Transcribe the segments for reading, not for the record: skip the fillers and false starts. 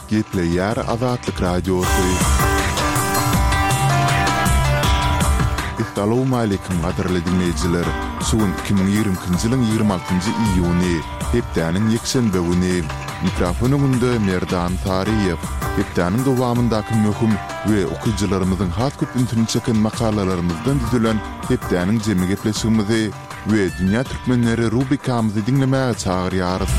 Gepleýär Azatlyk Radiosy. Essalawmaleýkim gadyrly diňleýjiler! Şu gün 2022-nji ýylyň 26-njy iýuny, hepdäniň ýekşenbe güni. Mikrofon öňünde Merdan Saryýew. Hepdäniň dowamyndaky möhüm we okyjylarymyzyň has köp ünsüni çeken makalalarymyzdan düzülen hepdäniň jemi gepleşigimizi we Dünýä Türkmenleri rubrikamyzy diňlemäge çagyrýarys.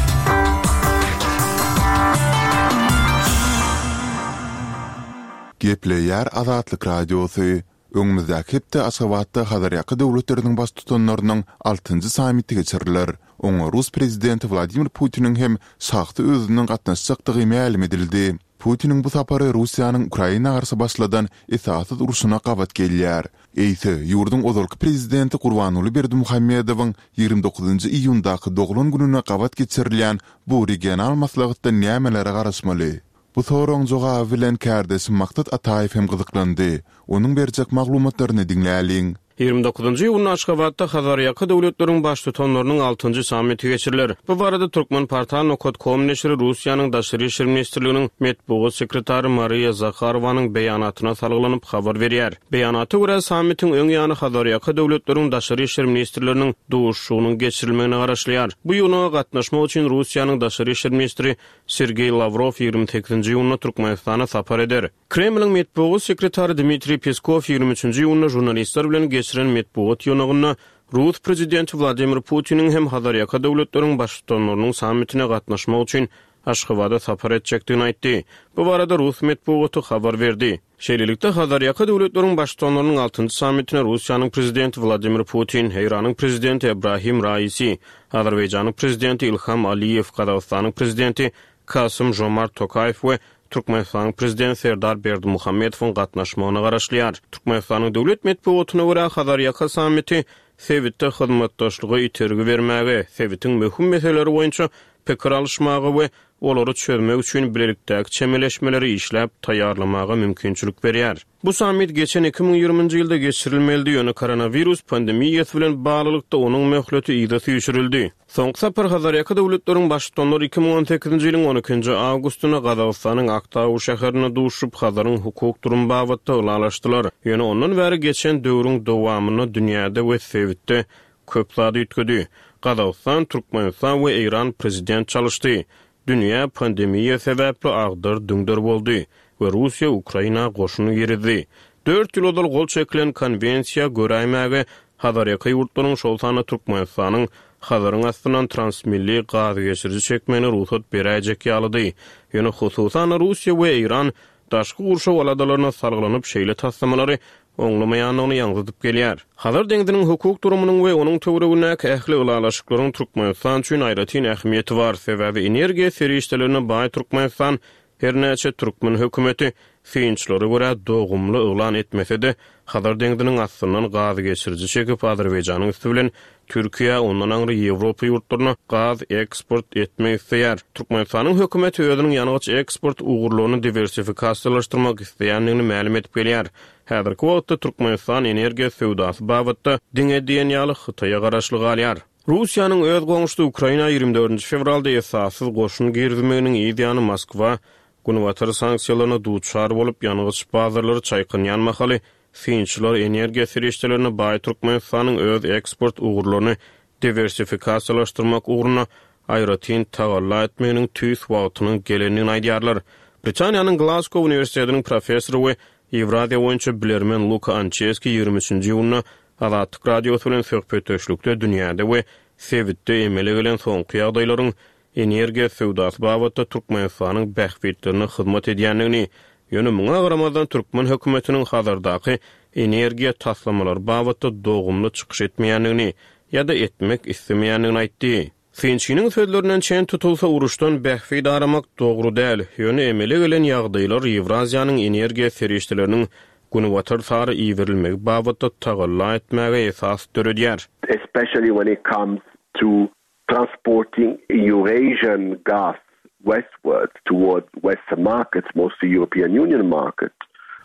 Gepleýär Azatlyk Radiosy, Öňümizdäki hepde Aşgabatda Hazarýaka döwletleriniň baştutanlarynyň altynjy sammiti geçiriler. Oňa rus prezidenti Wladimir Putiniň hem şahsy özüniň gatnaşjakdygy mälim edildi. Putiniň bu sapary Russiýanyň Ukraina garşy başladan esassyz urşuna gabat gelýär. Eýse, ýurduň ozalky prezidenti Gurbanguly Berdimuhamedowyň 29-njy iýundaky doglan gününe gabat geçirilýän bu regional maslahatdan nämelere garaşmaly? Bu soragyň jogaby bilen kärdeşim Maksat Ataýew hem gyzyklandy. Onuň berjek maglumatlaryny diňläliň. 29-njy iýunda Aşgabatda Hazarýaka döwletleriň Baştutanlarynyň altynjy sammiti geçiriler. Bu barada Turkmenportal nokat kom neşiri Russiýanyň Daşary işler ministrliginiň metbugat sekretary Mariýa Zaharowanyň beýanatyna salgylanyp habar berýär. Beýanata görä, sammitiň öň ýany Hazarýaka döwletleriň daşary işler ministrleriniň duşuşygynyň geçirilmegine garaşylýar. Bu ýygnaga gatnaşmak üçin Russiýanyň daşary işler ministri Sergeý Lawrow 28-nji iýunda Türkmenistana sapar eder. Kremliň metbugat sekretary Dmitriý Peskow 23-nji iýunda žurnalistler bilen geçiren metbugat ýygnagynda rus prezidenti Wladimir Putiniň hem Hazarýaka döwletleriň baştutanlarynyň sammitine gatnaşmak üçin Aşgabada sapar etjekdigini aýtdy. Bu barada rus metbugaty habar berdi. Şeýlelikde, Hazarýaka döwletleriň Baştutanlarynyň altynjy sammitine Russiýanyň Prezidenti Wladimir Putin, Eýranyň Prezidenti Ebrahim Raisi, Azerbaýjanyň Prezidenti Ilham Aliýew, Gazagystanyň Prezidenti Kasym-Žomart Tokaýew we Türkmenistanyň Prezidenti Serdar Berdimuhamedowyň gatnaşmagyna garaşylýar. Türkmenistanyň döwlet metbugatyna görä, Hazarýaka sammiti sebitde hyzmatdaşlyga itergi bermäge, sebitiň möhüm meseleleri boýunça pikir alyşmaga we olary çözmek üçin bilelikdäki çemeleşmeleri işläp taýýarlamaga mümkinçilik berýär. Bu sammit geçen 2020-nji ýylda geçirilmelidi, ýöne koronawirus pandemiýasy bilen baglylykda onuň möhleti yza süýşürildi. Soňky sapar Hazarýaka döwletleriň Baştutanlary 2018-nji ýylyň on ikinji awgustynda Gazagystanyň Aktau şäherinde duşuşyp, Hazaryň hukuk durumy babatda ylalaşdylar. Ýöne ondan bäri geçen döwrüň dowamynda dünýäde we sebitde Köp zat üýtgedi. Gazagystan, Türkmenistan we Eýran prezident çalyşdy. Dünýä pandemiýa sebäpli agdar-düňder boldy we Russiýa Ukraina goşun girizdi. Dört ýyl ozal gol çekilen konwensiýa göräýmäge Hazarýaka ýurtlaryň, şol sanda Türkmenistanyň Hazaryň astyndan transmilli gazgeçiriji çekmegine rugsat beräýjek ýalydy. Ýöne hususan-da Russiýa we Eýran daşky gurşaw aladalaryna salgylanyp şeýle taslamalary oňlamaýandygyny ýaňzydyp gelýär. Hazar deňziniň hukuk durumynyň we onuň töweregindäki ähli ylalaşyklaryň Türkmenistan üçin aýratyn ähmiýeti bar, sebäbi energiýa serişdelerine baý Türkmenistan her näçe türkmen hökümeti synçylara görä dogumly yglan etmese-de, Hazar deňziniň astyndan gaz geçiriji çekip Azerbaýjanyň üsti bilen Türkiýä, ondan aňry Ýewropa ýurtlaryna gaz eksport etmek isleýär. Türkmenistanyň hökümeti özüniň ýangyç eksport ugurlaryny diwersifikasiýalaşdyrmak isleýändigini mälim edip gelýär. Häzirki wagtda Türkmenistan energiýa söwdasy babatda diňe diýen ýaly Hytaýa garaşly galýar. Russiýanyň öz goňşusy Ukraina 24-nji fewralda esassyz goşun girizmeginiň yz ýany Moskwa Günbatar sanksiýalaryna duçar bolup, ýangyç bazarlary çaýkanýan mahaly Synçylar energiýa serişdelerine baý Türkmenistanyň öz eksport ugurlaryny diwersifikasiýalaşdyrmak ugrunda aýratyn tagalla etmeginiň tüýs wagtynyň gelendigini aýdýarlar. Britaniýanyň Glazgo uniwersitetiniň professory we Ýewraziýa boýunça bilermen Luka Ançeski 23-nji iýunda Azatlyk Radiosy bilen söhbetdeşlikde dünýäde we sebitde emele gelen soňky ýagdaýlaryň energiýa söwdasy babatda Türkmenistanyň bähbitlerine hyzmat edýändigini, ýöne muňa garamazdan türkmen hökümetiniň Hazardaky energiýa taslamalary babatda dogumly çykyş etmeýändigini ýa-da etmek islemeýändigini aýtdy. Synçynyň sözlerinden çen tutulsa, uruşdan bähbit aramak dogry däl, ýöne emele gelen ýagdaýlar Ýewraziýanyň energiýa serişdeleriniň Günbatar sary iberilmegi babatda tagalla etmäge esas döredýär. Especially when it comes to Transporting Eurasian gas westwards toward western markets, mostly European Union markets.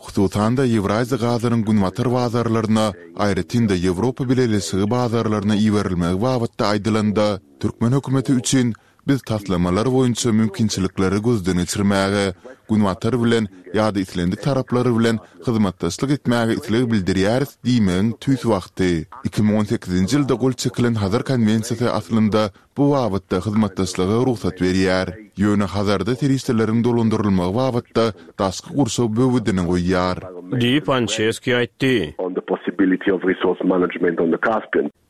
Hususan-da, Ýewraziýa gazynyň günbatar bazarlaryna, aýratyn-da, Ýewropa Bileleşigi bazarlaryna iberilmegi babatda aýdylanda, türkmen hökümeti üçin. Biz taslamalar boýunça mümkinçilikleri gözden geçirmäge, Günbatar bilen ýa-da islendik taraplar bilen hyzmatdaşlyk etmäge isleg bildirýäris diýmegiň tüýs wagty. 2018-nji ýylda gol çekilen Hazar konwensiýasy aslynda bu babatda hyzmatdaşlyga rugsat berýär. Ýöne Hazarda serişdeleriň dolandyrylmagy babatda daşky gurşaw böwedini goýýar. Diýip, Ançeski aýtdy.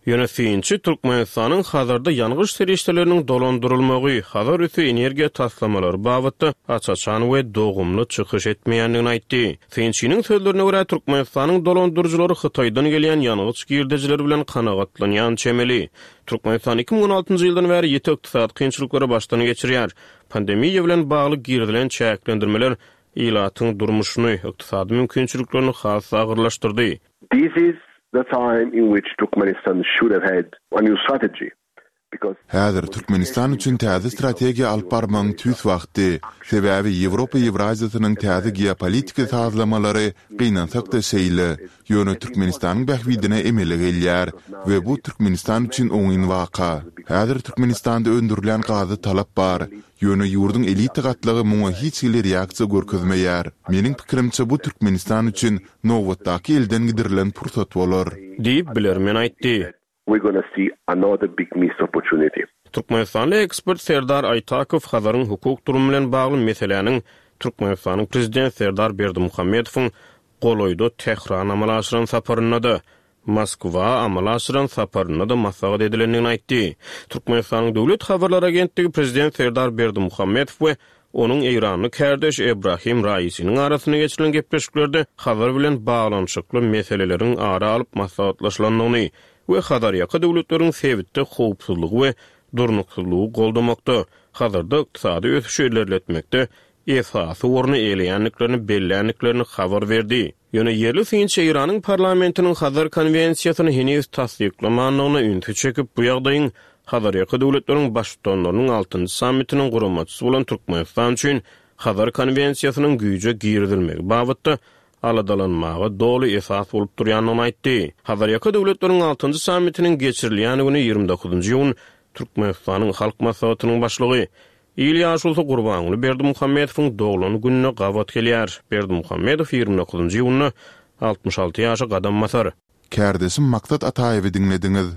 Ýöne synçy Türkmenistanyň Hazarda ýangyç serişdeleriniň dolandyrylmagy, Hazar üsti energiýa taslamalary babatda aç-açan we dogumly çykyş etmeýändigini aýtdy. Synçynyň sözlerine görä, Türkmenistanyň dolandyryjylary Hytaýdan gelýän ýangyç girdejileri bilen kanagatlanýan çemeli. Türkmenistan 2016-njy ýyldan bäri ýiti ykdysady kynçylyklary başdan geçirýär. Pandemiýa bilen bagly girizilen çäklendirmeler ilatyň durmuşyny, ykdysady mümkinçiliklerini has-da agyrlaşdyrdy. This is the time in which Turkmenistan should have had a new strategy because. Häzir Türkmenistan üçin täze strategiýa alyp barmagyň tüýs wagty. Sebäbi Ýewropa Ýewraziýasynyň täze geopolitiki sazlamalary gynansak-da şeýle, ýöne Türkmenistanyň bähbidine emele gelýär we bu Türkmenistan üçin oňyn waka. Häzir Türkmenistanda öndürilýän gaza talap bar, Ýöne ýurduň elita gatlagy muňa hiç hili reaksiýa görkezmeýär. Meniň pikirimçe bu Türkmenistan üçin nobatdaky elden gidirilen pursat bolar. Diýip, bilermen aýtdy. Türkmenistanly ekspert Serdar Aýtakow Hazaryň hukuk durumy bilen bagly meseläniň Türkmenistanyň Prezidenti Serdar Berdimuhamedowyň golaýda Tährana amala aşyran saparynda-da, Moskwa amala aşyran saparynda-da maslahat edilendigini aýtdy. Türkmenistanyň Döwlet habarlar agentligi prezident Serdar Berdimuhamedow we onuň eýranly kärdeşi Ebrahim Raisiniň arasynda geçirilen gepleşiklerde Hazar bilen baglanyşykly meseleleriň ara alyp maslahatlaşylandygyny we Hazarýaka döwletleriň sebitde howpsuzlygy we durnuksyzlygy goldamakda, Hazarda ykdysady ösüşi ilerletmekde esasy orny eýeleýändiklerini belländiklerini habar berdi. Ýöne ýerli synçy Eýranyň parlamentiniň Hazar konwensiýasyny heniz tassyklamandygyna ünsi çekip, bu ýagdaýyň Hazarýaka döwletleriň Baştutanlarynyň altynjy sammitiniň guramaçysy bolan Türkmenistan üçin Hazar konwensiýasynyň güýje girizilmegi babatda aladalanmaga doly esas bolup durýandygyny aýtdy. Hazarýaka döwletleriň altynjy sammitiniň geçirilýän güni, 29 iýun, Türkmenistanyň Halk Maslahatynyň Başlygy, Il ýaşulusy Gurbanguly Berdimuhamedowyň doglan gününe gabat gelýär. Berdimuhamedow 29 iýunda 66 ýaşa gadam basar. Kärdeşim Maksat Ataýewi diňlediňiz.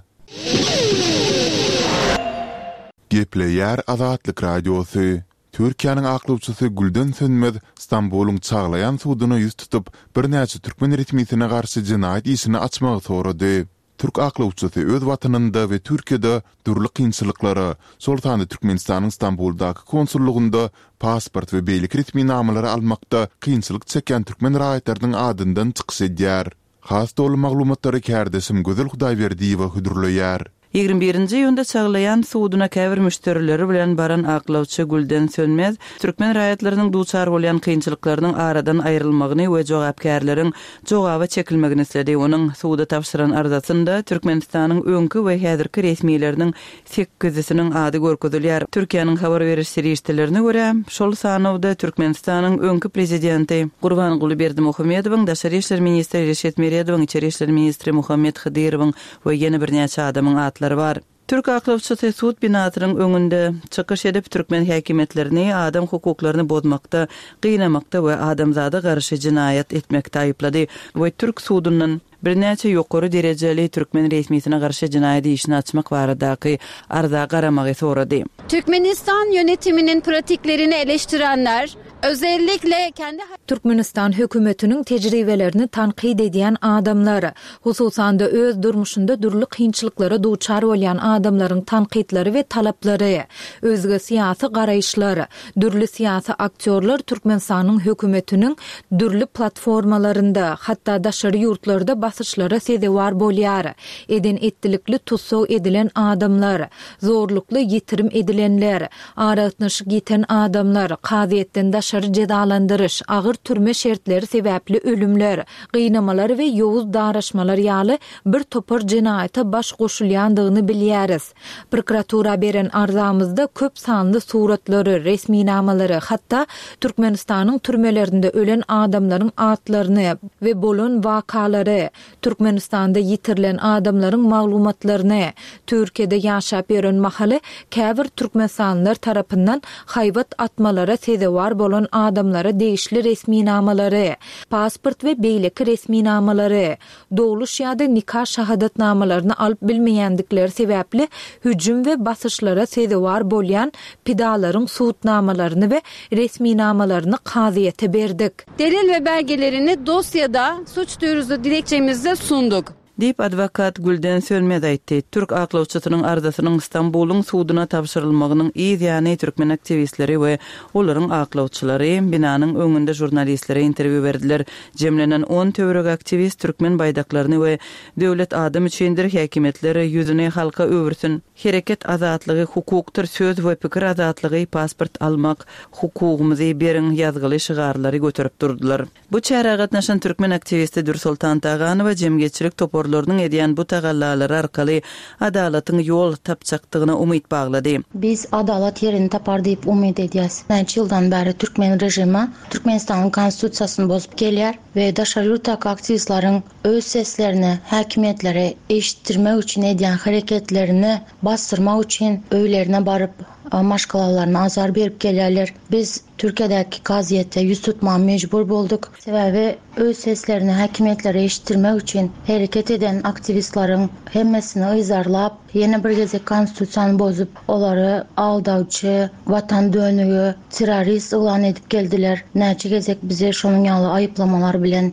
Gepleýär Azatlyk Radiosy. Türkiýäniň aklawçysy Gülden Sönmez Stambulyň Çaglaýan suduna ýüz tutup, birnäçe türkmen resmisine garşy jenaýat işini açmagy sorady. Türk aklawçysy öz watanynda we Türkiýede dürli kynçylyklara, şol sanda Türkmenistanyň Stambuldaky konsullygynda pasport we beýleki resminamalary almakda kynçylyk çekýän türkmen raýatlarynyň adyndan çykyş edýär. Has doly maglumatlary kärdeşim Gözel Hudaýberdiýewa hödürleýär. 21-nji iýunda Çaglaýan suduna käbir müşderileri bilen baran aklawçy Gülden Sönmez türkmen raýatlarynyň duçar bolýan kynçylyklarynyň aradan aýrylmagyny we jogapkärleriň jogaba çekilmegini isledi. Onuň suda tabşyran arzasynda Türkmenistanyň öňki we häzirki resmileriniň sekizisiniň ady görkezilýär. Türkiýäniň habar beriş serişdelerine görä, şol sanawda Türkmenistanyň öňki prezidenti Gurbanguly Berdimuhamedowyň, daşary işler ministri Reşit Meredowyň, içeri işler ministri Muhammet Hydyrowyň we ýene birnäçe adamyň atlary bar. Türk aklawçysy sud binasynyň öňünde çykyş edip, türkmen häkimiýetlerini adam hukuklaryny bozmakda, gynamakda we adamzada garşy jenaýat etmekde aýyplady we türk sudundan birnäçe ýokary derejeli türkmen resmisine garşy jenaýat işini açmak baradaky arza garamagy sorady. Türkmenistan yönetiminin pratiklerini eleştirenler, özellikle kendi. Türkmenistan hökümetiniň tejribelerini tankyt edýän adamlar, hususan-da öz durmuşynda dürli kynçylyklara duçar bolýan adamlaryň tankytlary we talaplary, özge syýasy garaýyşlar, dürli syýasy aktýorlar Türkmenistanyň hökümetiniň dürli platformalarynda, hatda daşary ýurtlarda basyşlara sezewar bolýar, eden-etdilikli tussag edilen adamlar, zorlukly ýitirim edilenler, Aragatnaşyk ýiten adamlar, kazyýetden daşary. daşary jezalandyryş, agyr türme şertleri sebäpli ölümler, gynamalar we ýowuz daraşmalar ýaly bir topar jenaýata baş goşulýandygyny bilýäris. Prokuratura beren arzamyzda köp sanly suratlary, resminamalary, hatda Türkmenistanyň türmelerinde ölen adamlaryň atlaryny we bolan wakalary, Türkmenistanda ýitirilen adamlaryň maglumatlaryny, Türkiýede ýaşap ýören mahaly käbir türkmenistanlylar tarapyndan haýbat atmalara sezewar bolan adamlara degişli resminamalary, pasport we beýleki resminamalary, dogluş ýa-da nika şahadatnamalaryny alyp bilmeýändikleri sebäpli hüjüm we basyşlara sezewar bolýan pidalaryň subutnamalaryny we resminamalaryny kazyýete berdik. Delil we belgelerini dosyada suç duyurusu dilekçemizde sunduk. Diýip, adwokat Gülden Sönmez aýtdy. Türk aklawçysynyň arzasynyň Stambulyň suduna tabşyrylmagynyň yz ýany türkmen aktiwistleri we olaryň aklawçylary binanyň öňünde žurnalistlere interwýu berdiler. Jemlenen on töweregi aktiwist türkmen baýdaklaryny we Döwlet adam üçindir, häkimiýetler ýüzüni halka öwürsin, hereket azatlygy hukukdyr, söz we pikir azatlygy, pasport almak hukugymyzy beriň ýazgyly şygarlary göterip durdular. Bu çärä gatnaşan türkmen aktiwisti Dürsoltan Taganowa jemgyýetçilik toparlarynyň edýän bu tagallalary arkaly adalatyň ýol tapjakdygyna umyt baglady. Biz adalat ýerini tapar diýip umyt edýäs. Näçe ýyldan bäri türkmen režimi Türkmenistanyň Konstitusiýasyny bozup gelýär we daşary ýurtdaky aktiwistleriň öz seslerini häkimiýetlere eşitdirmek üçin edýän hereketlerini basdyrmak üçin öýlerine baryp, maşgalalaryna azar berip gelýärler. Biz Türkiýedäki kazyýete ýüz tutmaga mejbur bolduk. Sebäbi öz seslerini häkimiýetlere eşitdirmek üçin hereket eden aktiwistleriň hemmesini yzarlap, ýene bir gezek konstitusiýany bozup, olary aldawçy, watan dönügi, terrorist yglan edip geldiler. Näçe gezek bizi şonuň ýaly aýyplamalar bilen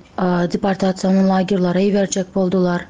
deportasion lagerlere iberjek boldular.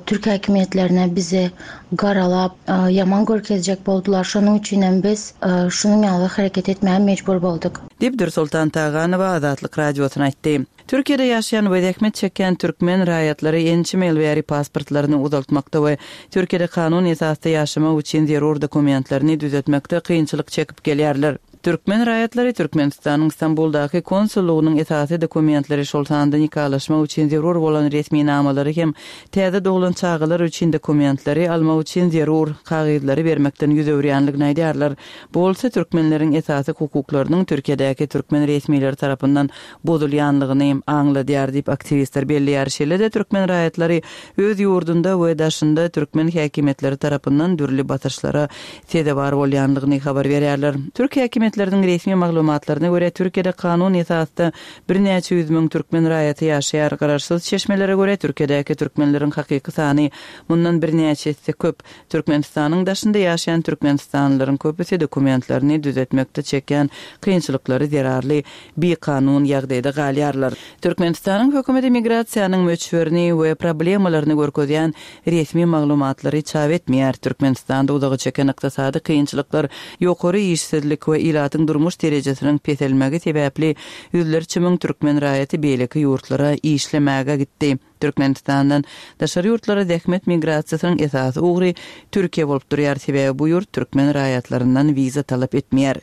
Türk häkimiýetlerine bizi garalap, ýaman görkezjek boldular. Şonuň üçin hem biz şunuň ýaly hereket etmäge mejbur bolduk. Diýip, Dürsoltan Taganowa Azatlyk Radiosyna aýtdy. Türkiýede ýaşaýan we zähmet çekýän türkmen raýatlary ençeme ýyl bäri pasportlaryny uzaltmakda we Türkiýede kanun esasda ýaşamak üçin zerur dokumentlerini düzetmekde kynçylyk çekip gelýärler. Türkmen raýatlary Türkmenistanyň Stambuldaky konsullygynyň esasy dokumentleri, şol sanda nikalaşmak üçin zerur bolan resminamalary hem täze doglan çagalar üçin dokumentleri almak üçin zerur kagyzlary bermekden ýüz öwürýänligini aýdýarlar. Bu bolsa türkmenleriň esasy hukuklarynyň Türkiýedäki türkmen resmileri tarapyndan bozulýanlygyny aňladýar diýip, aktiwistler belleýär. Şeýle-de türkmen raýatlary öz ýurdunda we daşynda türkmen häkimiýetleri tarapyndan dürli basyşlara sezewar bolýanlygyny habar berýärler. Türk häkimiýetleriniň resmi maglumatlaryna görä, Türkiýede kanun esasda birnäçe ýüz müň türkmen raýaty ýaşaýar. Garaşsyz çeşmelere görä, Türkiýedäki türkmenleriň hakyky sany mundan birnäçe esse köp. Türkmenistanyň daşynda ýaşaýan türkmenistanlylaryň köpüsi dokumentlerini düzetmekde çekýän kynçylyklary zerarly bikanun ýagdaýda galýarlar. Türkmenistanyň hökümeti migrasiýanyň möçberini we problemalaryny görkezýän resmi maglumatlary çap etmeýär. Türkmenistanda uzaga çeken ykdysady kynçylyklar, ýokary işsizlik we ilatyň durmuş derejesiniň peselmegi sebäpli ýüzlerçe müň türkmen raýaty beýleki ýurtlara işlemäge gitdi. Türkmenistandan daşary ýurtlara zähmet migrasiýasynyň esasy ugry Türkiýe bolup durýar, sebäbi bu ýurt türkmen raýatlaryndan wiza talap etmeýär.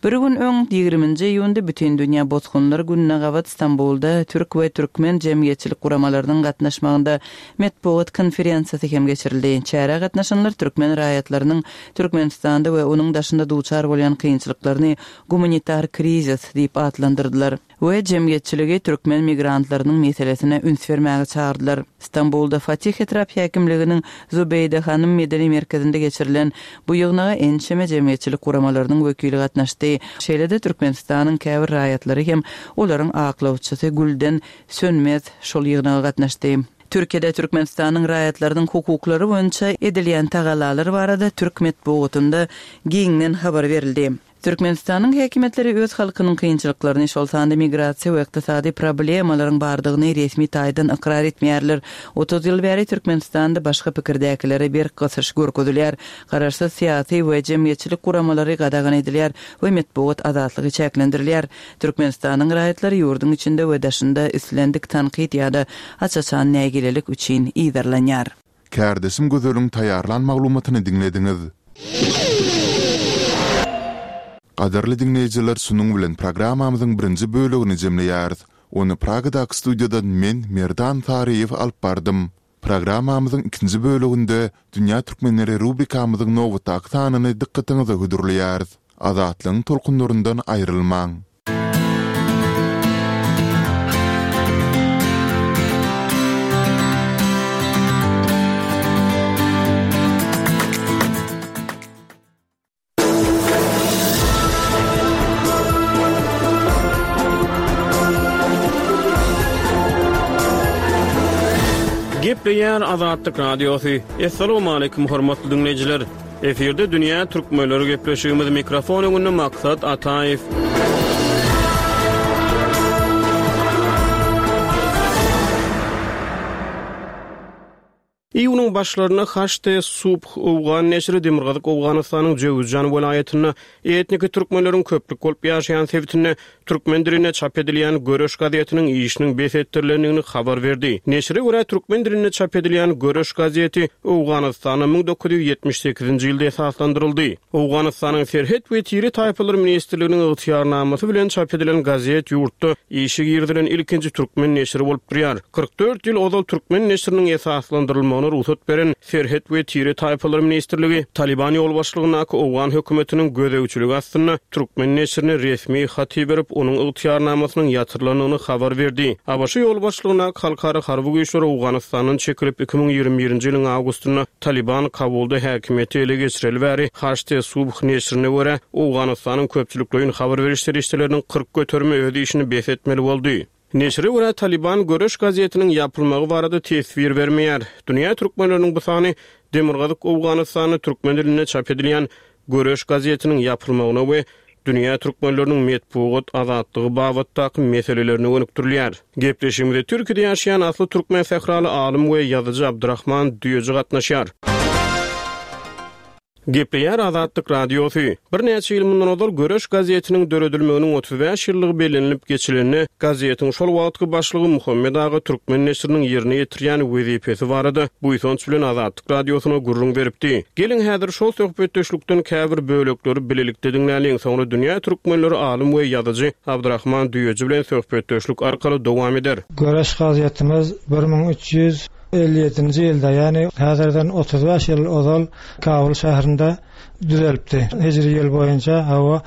Bir gün öň, ýigriminji iýunda Bütindünýä bosgunlar gününe gabat Stambulda türk we türkmen jemgyýetçilik guramalarynyň gatnaşmagynda metbugat konferensiýasy hem geçirildi. Çärä gatnaşanlar türkmen raýatlarynyň Türkmenistanda we onuň daşynda duçar bolýan kynçylyklaryny gumanitar krizis diýip atlandyrdylar. We jemgyýetçiligi türkmen migrantlarynyň meselesine üns bermäge çagyrdylar. Stambulda Fatih etrap häkimliginiň Zubeýde hanym medeni merkezinde geçirilen bu ýygnaga ençeme jemgyýetçilik guramalarynyň wekili gatnaşdy. Şeýle-de Türkmenistanyň käbir raýatlary hem olaryň aklawçysy Gülden Sönmez şol ýygnaga gatnaşdy. Türkiýede Türkmenistanyň raýatlarynyň hukuklary boýunça edilýän tagallalar barada türk metbugatynda giňden habar berildi. Türkmenistanyň häkimiýetleri öz halkynyň kynçylyklaryny, şol sanda migrasiýa we ykdysady problemalaryň bardygyny resmi taýdan ykrar etmeýärler. 30 ýyl bäri Türkmenistanda başga pikirdäkilere berk gysyş görkezilýär. Garaşsyz syýasy we jemgyýetçilik guramalary gadagan edilýär we metbugat azatlygy çäklendirilýär. Türkmenistanyň raýatlary ýurduň içinde we daşynda islendik tankyt ýa-da aç-açan nägilelik üçin yzarlanýar. Kärdeşim Gözeliň taýýarlan maglumatyny diňlediňiz. Gadyrly diňleýjiler şunuň bilen programmamyzyň birinji bölegini jemleýäris. Ony Pragadaky studiýadan men, Merdan Saryýew alyp bardym. Programmamyzyň ikinji böleginde Dünýä türkmenleri rubrikamyzyň nobatdaky sanyny dykgatyňyza hödürleýäris. Azatlygyň tolkunlaryndan aýrylmaň! Gepleýär Azatlyk Radiosy. Assalamualaikum hormatly dinleýjiler. Efirde dünýä türkmenleri gepleşigimiz mikrofon öňünde Maksat Ataýew. Iýunyň başlarynda Haşt-e Subh owgan neşiri Demirgazyk Owganystanyň Jöwüzjan welaýatynda etniki türkmenleriň köplük bolup ýaşaýan sebitinde türkmen dilinde çap edilýän Göreş gazetiniň işiniň bes etdirilendigini habar berdi. Neşire görä, türkmen dilinde çap edilýän Göreş gazeti Owganystanda 1978-nji ýylda esaslandyryldy. Owganystanyň Serhet we tire-taýpalar ministrliginiň ygtyýarnamasy bilen çap edilen gazet ýurtda işe girizilen ilkinji türkmen neşiri bolup durýar. 44 ýyl ozal türkmen neşiriniň esaslandyrylmagyna rugsat beren Serhet we tire-taýpalar ministrligi Talyban ýolbaşçylygyndaky owgan hökümetiniň gözegçiligi astynda türkmen neşirine resmi hat iberip, onuň ygtyýarnamasynyň ýatyrylandygyny habar berdi. ABŞ ýolbaşçylygyndaky halkara harby güýçler Owganystandan çekilip, 2021-nji ýylyň awgustynda Talyban Kabulda häkimiýeti ele geçireli bäri, Haşt-e Subh neşirine görä, Owganystanyň köpçülikleýin habar beriş serişdeleriniň 40 göterimi öz işini bes etmeli boldy. Neşire görä, Talyban Göreş gazetiniň ýapylmagy barada teswir bermeýär. Dünýä türkmenleriniň bu sany Demirgazyk Owganystanda türkmen dilinde çap edilýän Göreş gazetiniň ýapylmagyna we dünýä türkmenleriniň metbugat azatlygy babatdaky meselelerine gönükdirilýär. Gepleşigimize Türkiýede ýaşaýan asly türkmen sähraly alym we ýazyjy Abdyrahman Düýeji gatnaşýar. Gepleýär Azatlyk Radiosy. Birnäçe ýyl mundan ozal Göreş gazetiniň döredilmeginiň 35 ýyllygy bellenilip geçilende, gazetiň şol wagtky başlygy Muhammet aga türkmen neşiriniň ýerine ýetirýän wezipesi barada buýsanç bilen Azatlyk Radiosyna gürrüň beripdi. Geliň, häzir şol söhbetdeşlikden käbir bölekleri bilelikde diňläliň, soňra dünýä türkmenleri alym we ýazyjy Abdyrahman Düýeji bilen söhbetdeşlik arkaly dowam eder. Göreş gazetimiz 1357-nji ýylda, ýagny häzirden 35 ýyl ozal Kabul şäherinde düzelipdi. Hijri ýyl boýunça, hawa,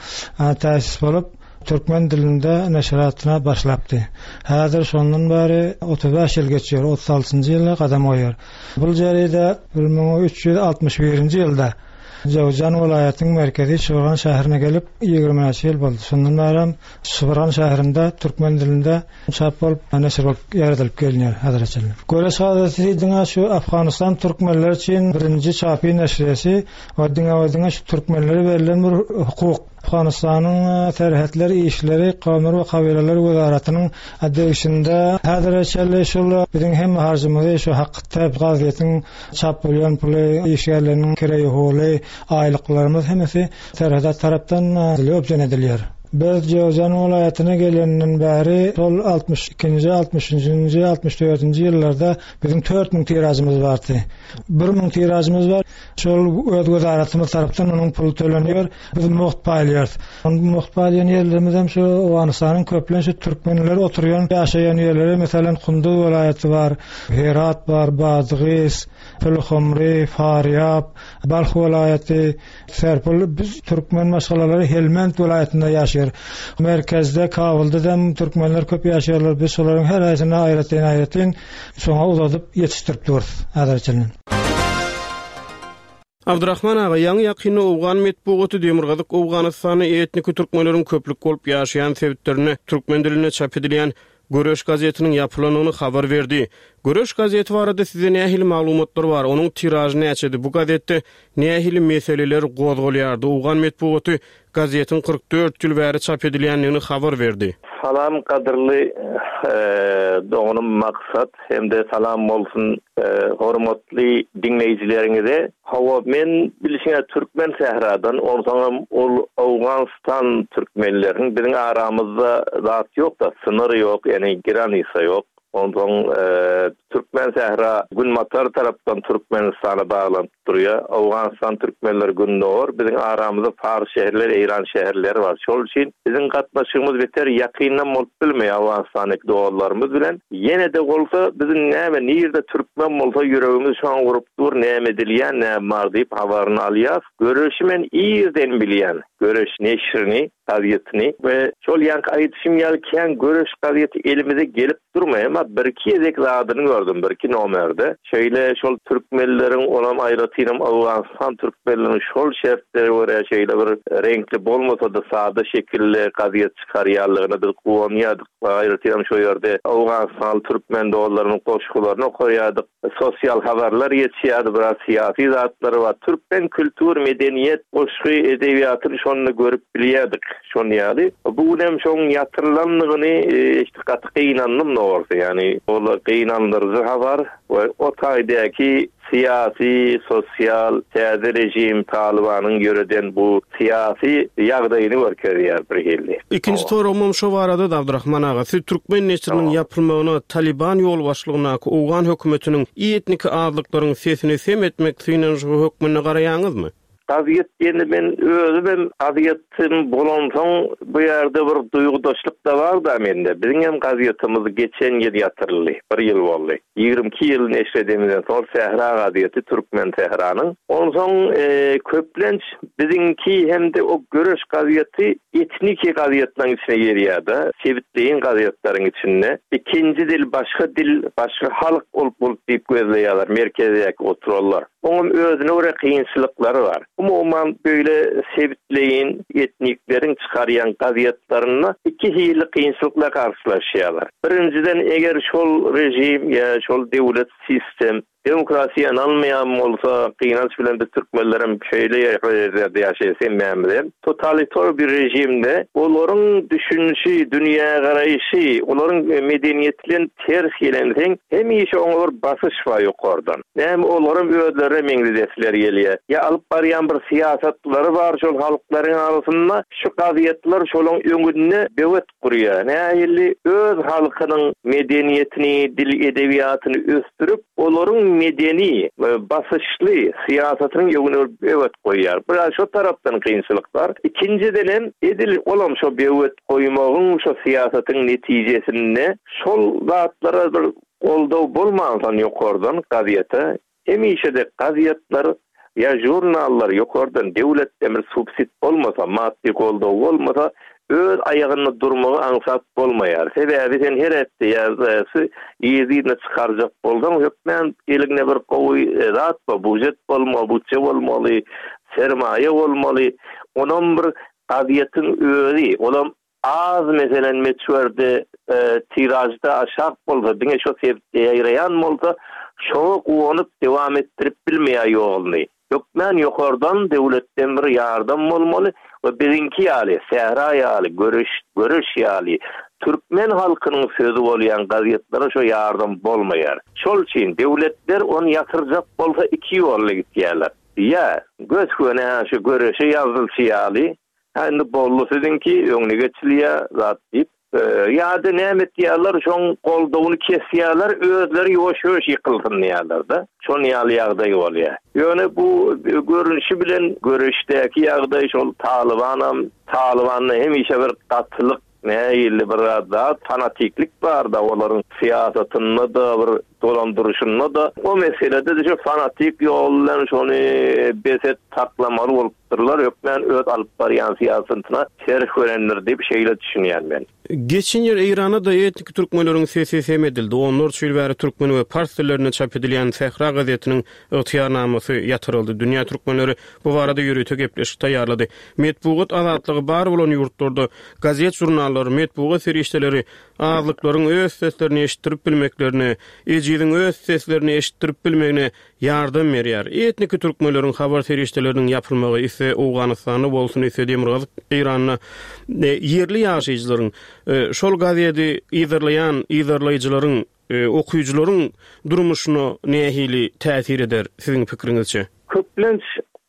täsis bolup, türkmen dilinde neşiratyna başlapdy. Häzir şondan bäri 35 ýyl geçýär, 36-njy ýyla gadam goýýar. Bul jeride 1361-nji ýylda Jöwüzjan welaýatynyň merkezi Şybyrgan şäherine gelip, ýigrimi näçe ýyl boldy. Şondan bärem Şybyrgan şäherinde türkmen dilinde çap bolup, neşir bolup ýaýradylyp gelinýär häzire çenli. Göreş gazeti diňe şu Afganystan türkmenleri üçin birinji çapy neşirýesi we diňe we diňe şu türkmenlere berlen bir hukuk. Afganystanyň Serhetler işleri, kowumlar we kabylalar wezaratynyň degişinde häzire çenli şul biziň hemme harjymyzy şu hakda gazetiň çap bolýan puly, işgärleriniň kireý-huly, aýlyklarymyz hemmesi Serhedat tarapdan üpjün edilýär. Biz Jöwzjan welaýatyna gelenden bäri şol 62-nji, 63-nji, 64-nji ýyllarda biziň 4000 tiražymyz bardy. 1000 tiražymyz bar. Şol öz wezaratymyz tarapdan onuň puly tölenýär. Biz mugt paýlaýarys. Mugt paýlaýan ýerlerimiz hem şu Owganystanyň köplenç şu türkmenler oturýan, ýaşaýan ýerleri, meselem, Kunduz welaýaty bar, Herat bar, Badgys, Pulhumry, Farýab, Balh welaýaty, Serpil. Biz türkmen maşgalalary Helmend welaýatynda ýaşaýar. Merkezde, Kabulda hem türkmenler köp ýaşaýarlar. Biz şolaryň her haýsyna aýratyn-aýratyn şoňa uzadyp ýetişdirip durus häzire çenli. Abdyrahman aga, ýaňy-ýakynda owgan metbugaty Demirgazyk Owganystanda etniki türkmenleriň köplük bolup ýaşaýan sebitlerinde türkmen dilinde çap edilýän Göreş gazetiniň ýapylandygyny habar berdi. Göreş gazeti barada sizde nähili maglumatlar bar? Onuň tiražy näçedi? Bu gazetde nähili meseleler gozgalýardy? Owgan metbugaty gazetiň 44 ýyl bäri çap edilýändigini habar berdi. Salam gadyrly doganym Maksat hem-de salam bolsun hormatly diňleýjileriňize. Hawa men bilşiňe türkmen sähradan onsoňam ol Owganystan türkmenleriniň biziň aramyzda zat ýokda synyr ýok ýani giranisa ýok onsoň. Türkmen sähra günbatar tarapdan Türkmenistana baglanyp durýar. Owganystan türkmenleri gündogar, biziň aramyzda pars şäherleri, eýran şäherleri bar. Şol üçin biziň gatnaşygymyz beter ýakyndan bolup bilmeýär Owganystandaky doganlarymyz bilen. Ýene-de bolsa biziň näme nirde türkmen bolsa ýüregimiz şoňa urup dur, näme edilýär, näme bar diýip habaryny alýas. Göreşi men irden bilýän, Göreş neşrini, gazetini we şol ýaňky aýdyşym ýaly kän Göreş gazeti elimize gelip durmaýar, emma birki gezek zadyny gördüm, birki nomerde. Şeýle şol türkmenleriň, onam aýratynam Owganystan türkmenleriniň şol şertlere görä şeýle bir reňkli bolmasa-da sada şekilde gazet çykarýanlygyna biz guwanýardyk. Aýratynam şo ýerde owganystanly türkmen dostlarymyň goşgularyny okaýardyk. Sosial habarlar geçýärdi, biraz syýasy zatlar bar. Türkmen kültür, medeniýet, goşgy, edebiýatyny şonda görüp bilýärdik şon ýaly. Bu günem şoň ýatyrylandygyny eşidip gaty gynandym dogrusy. Ýagny ol gynandyryjy habar we o taýdaky Syýasy, sosial täze režim Talybanyň ýöreden bu syýasy ýagdaýyny görkezýär birhili. Ikinji soragymam şo barada-da Abdyrahman aga, siz türkmen neşiriniň ýapylmagyna Talyban ýolbaşçylygyndaky owgan hökümetiniň etniki azlyklaryň sesini sem etmek synanyşygy hökmünde garaýaňyzmy? Gazet diýende men özümem gazetçim bolansoň bu ýerde bir duýgudaşlyk-da bar-da mende. Biziňem gazetimiz geçen ýyl ýatyryldy. Bir ýyl boldy. 22 ýyl neşir edenimizden soň Sähra gazeti Türkmen sähranyň. Onsoň köplenç biziňki hem-de o Göreş gazeti etniki gazetleriň içine girýär-de, sebitleýin gazetleriň içinde. Ikinji dil başga dil, başga halk bolup bolup diýip gözleýärler merkezdäki oturanlar. Oňam özüne görä kynçylyklary bar. Umuman, beýle sebitleýin etnikleriň çykarýan gazetlerinde iki hili kynçylykla garşylaşýarlar. Birinjiden, eger şol režim ýa şol döwlet sistem demokrasiýa ynanmaýan bolsa, gynanç bilen biz türkmenlerem şeýle ýerde ýaşaýas hemmämizem, totalitar bir režimde olaryň düşünişi, dünýägaraýşy, olaryň medeniýeti bilen ters gelenseň, hemişe oňa bir basyş bar ýokardan. Näme olaram özlerine meňzedesleri gelýär. Ýa alyp barýan bir syýasatlary bar şol halklaryň arasynda, şu gazetler şolaň öňünde böwet gurýar. Nähili öz halkynyň medeniýetini, dil edebiýatyny ösdürip, olaryň medeni basyşly syýasatynyň öňüne bir böwet goýýar. Biraz şo tarapdan kynçylyk bar. Ikinjidenem edil olam şo böwet goýmagyň şo syýasatyň netijesinde şol zatlara bir Goldaw bolmansoň ýokardan gazete, hemişe-de gazetler ýa žurnallar ýokardan döwletden bir subsid bolmasa, maddy goldaw bolmasa, öz aýagynda durmagy aňsat bolmaýar. Sebäbi sen her hepde ýa yzy-yzyna çykarjak bolsaň, hökmän eliňde bir gowy zat bar, bujet bolmaly, butje bolmaly, sermaýa bolmaly. Onam bir gazetiň özi, olam Az meselem möçberde tiražda aşak bolsa, diňe şo sebitde ýaýraýan bolsa, şoňa guwanyp dowam etdirip bilmeýär ýoluny. Hökmän ýokardan, döwletden bir ýardam bolmaly we biziňki ýaly, Sähra ýaly, Göreş, Göreş ýaly türkmen halkynyň sözi bolýan gazetlere şo ýardam bolmaýar. Şol üçin döwletler ony ýatyrjak bolsa iki ýolla gitýärler. Ýa gös-göni şu Göreşe ýazylşy ýaly, Hä indi boldy siziňki, öňüne geçilýä zat diýip. Ýa-da näme etýärler, şoň goldawyny kesýärler, özleri ýuwaş-ýuwaş ýykylsyn diýýärler-de. Şon ýaly ýagdaý bolýar. Ýöne bu görnüşi bilen göreşdäki ýagdaý şol Talybanam, Talybanda hemişe bir gatylyk, nähili bir zat, fanatiklik bar-da olaryň syýasatynda-da, bir dolandyryşynda-da. O meselede-de şu fanatik ýol bilen şony bes et saklamaly bolup Dyrlar hökmän öz alyp barýan syýasatyna ters görendir diýip şeýle düşünýän men. Geçen ýyl Eýranda-da etniki türkmenleriň sesi sem edildi. Onlarça ýyl bäri türkmen we pars dillerinde çap edilýän Sähra gazetiniň ygtyýarnamasy ýatyryldy. Dünýä türkmenleri bu barada ýörite gepleşik taýýarlady. Metbugat azatlygy bar bolan ýurtlarda gazet-žurnallar, metbugat serişdeleri azlyklaryň öz seslerini eşitdirip bilmeklerine, ejiziň öz seslerini eşitdirip bilmegine Ýardam berýär. Etniki türkmenleriň habar serişdeleriniň ýapylmagy isle Owganystanda bolsun, isle Demirgazyk Eýranda ýerli ýaşaýjylaryň, şol gazedi yzarlaýan yzarlaýjylaryň, okyjylaryň durmuşyna nähili täsir eder siziň pikiriňizçe? Köplenç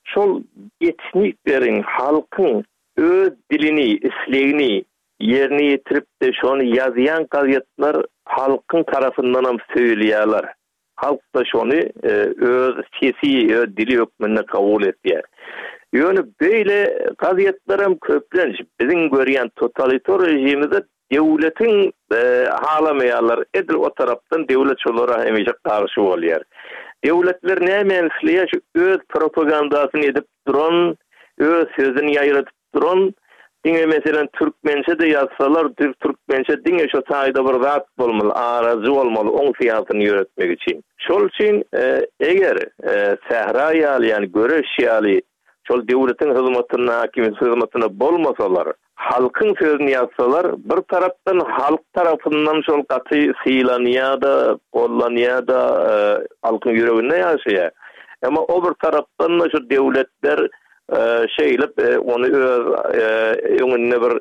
şol etnikleriň, halkyň öz dilini, islegini. ýerine ýetirip-de şony ýazýan gazetler halkyň tarapyndanam söýülýärler. Halk-da şony öz sesi, öz dili hökmünde kabul etýär. Ýöne beýle gazetlerem köplenç biziň görýän totalitar režimizde döwletiň halamaýarlar, edil o tarapdan döwlet şolara hemişe garşy bolýar. Döwletler nämäni isleýär? Şu öz propagandasyny edip duran, öz sözüni ýaýradyp duran, diňe meselem türkmençe-de ýazsalar, düz türkmençe diňe şo taýda bir zat bolmaly, arajy bolmaly oň syýasyny ýöretmek üçin. Şol üçin eger Sähra ýaly, ýagny Göreş ýaly şol döwletiň hyzmatynda, häkimiýetiň hyzmatynda bolmasalar, halkyň sözüni ýazsalar, bir tarapdan halk tarapyndan şol gaty sylanýar-da, gollanýar-da, halkyň ýüreginde ýaşaýar. Emma o bir tarapdan-da şu döwletler şeýlip ony öz öňünde bir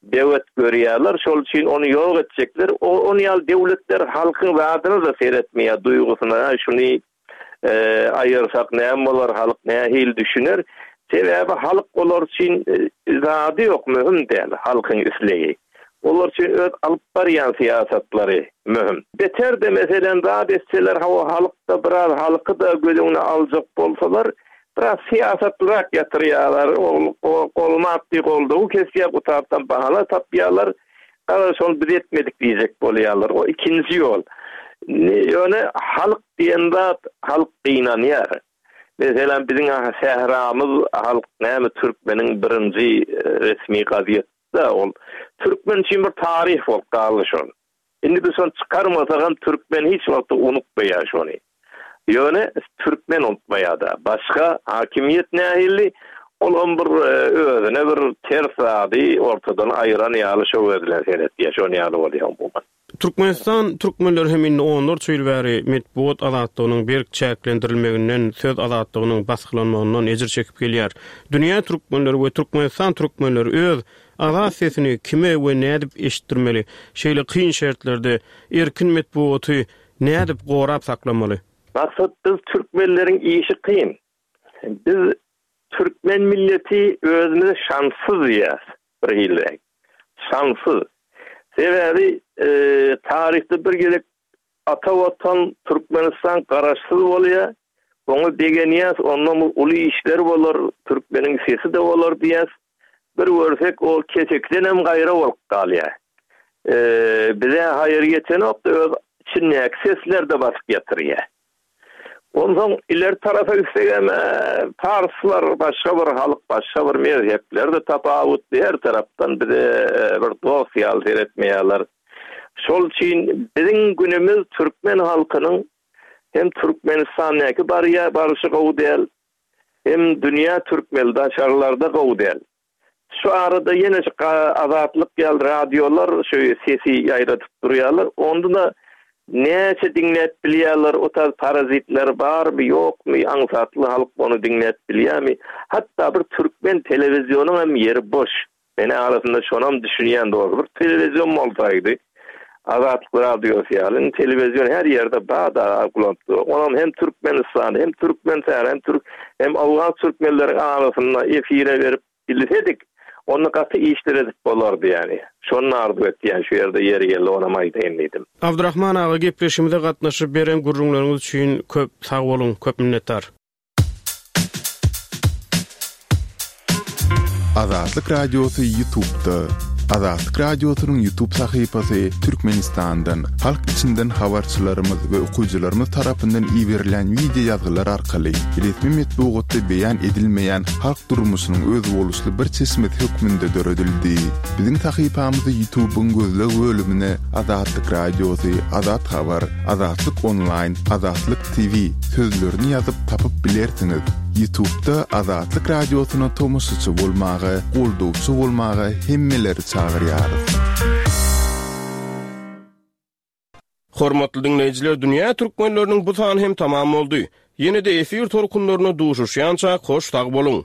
böwet görýärler, şol üçin ony ýok etjekler. Ony ýaly döwletler halkyň zadyna-da seretmeýär, duýgusyna, şuny aýyrsak näme bolar, halk nähili düşüner? Sebäbi halk olar üçin zady ýok, möhüm däl halkyň islegi. Olar üçin öz alyp barýan syýasatlary möhüm. Beter-de meselem zat etseler, hawa halk-da biraz halky-da göz öňüne aljak bolsalar, biraz syýasatlyrak ýatyrýarlar, ol golmap diý goldawy kesýär, bu tarapdan bahana tapýarlar. Garaz şony biz etmedik diýjek bolýarlar. O ikinji ýol. Ýöne halk diýen zat halk gynanýar. Meselem biziň sähramyz halk näme türkmeniň birinji resmi gazeti-da ol. Türkmen üçin bir taryh bolup galdy şol. Indi biz şony çykarmasagam türkmen hiç wagtda unutmaýar şony. Ýöne türkmen unutmaýar-da. Başga hakimiýet nähili, olam bir özüne bir ters zady ortadan aýyran ýaly şo göz bilen seretýär. Şon ýaly bolýar umuman. Türkmenistan türkmenleri hem indi onlarça ýyl bäri metbugat azatlygynyň berk çäklendirilmeginden, söz azatlygynyň basgylanmagyndan ejir çekip gelýär. Dünýä türkmenleri we Türkmenistan türkmenleri öz azat sesini kime we nädip eşitdirmeli? Şeýle kyn şertlerde erkin metbugaty nädip gorap saklamaly? Maksat biz türkmenleriň işi kyn. Biz türkmen milleti özümizi şanssyz diýýäs bir hiliräk. Şanssyz. Sebäbi taryhda bir gezek ata watan Türkmenistan garaşsyz bolýar. Oňa begenýäs, ondan uly işler bolar, türkmeniň sesi-de bolar diýýäs. Bir görsek o kesekdenem gaýra bolup galýar. Bize haýyr ýetenok-da öz içindäki sesler-de basyp ýatyrýar. Onsoň ileri tarapa gitsegem parslar başga bir halk, başga bir mezhepler-de tapawutly, her tarapdan bize bir dost ýaly seretmeýärler. Şol üçin biziň günümiz türkmen halkynyň hem Türkmenistandaky barýa barşy gowy däl, hem dünýä türkmeli daşarlarda gowy däl. Şu arada ýene şu Azatlyk ýaly radiolar şu sesi ýaýradyp durýarlar. Onda-da näçe diňläp bilýärler, o tarz parazitler barmy, ýokmy, aňsatly halk ony diňläp bilýärmi? Hatda bir türkmen telewizionyň hem ýeri boş. Men arasynda şonam düşünýän dogry bir telewizion bolsaýdy Azatlyk radiosy ýaly indi telewizion her ýerde bar-da gulanyp dur. Onam hem Türkmenistan hem Türkmensähra hem türk hem owgan türkmenleriň arasynda efire berip bilsedik onda gaty işler edip bolardy ýani. Şony arzuw etýän şu ýerde ýeri geldi onam aýdaýyn diýdim. Abdyrahman aga gepleşigimize gatnaşyp beren gürrüňleriňiz üçin köp sag boluň köp minnetdar. Azatlyk Radiosy YouTube'da. Azatlyk Radiosynyň YouTube sahypasy Türkmenistandan, halk içinden habarçylarymyz we okyjylarymyz tarapyndan iberilen wideo ýazgylar arkaly resmi metbugatda beýan edilmeýän halk durmuşynyň özboluşly bir çeşmesi hökmünde döredildi. Biziň sahypamyzy YouTube'yň gözleg bölümine Azatlyk Radiosy, Azat Habar, Azatlyk Onlaýn, Azatlyk TV sözlerini ýazyp tapyp bilersiňiz. Ýutubda Azatlyk Radiosyna tomaşaçy bolmaga, goldawçy bolmaga hemmeleri çagyrýarys. Hormatly diňleýjiler Dünýä Türkmenleriniň bu sany hem tamam boldy. Ýene-de efir tolkunlarynda duşuşýançak hoş sag boluň.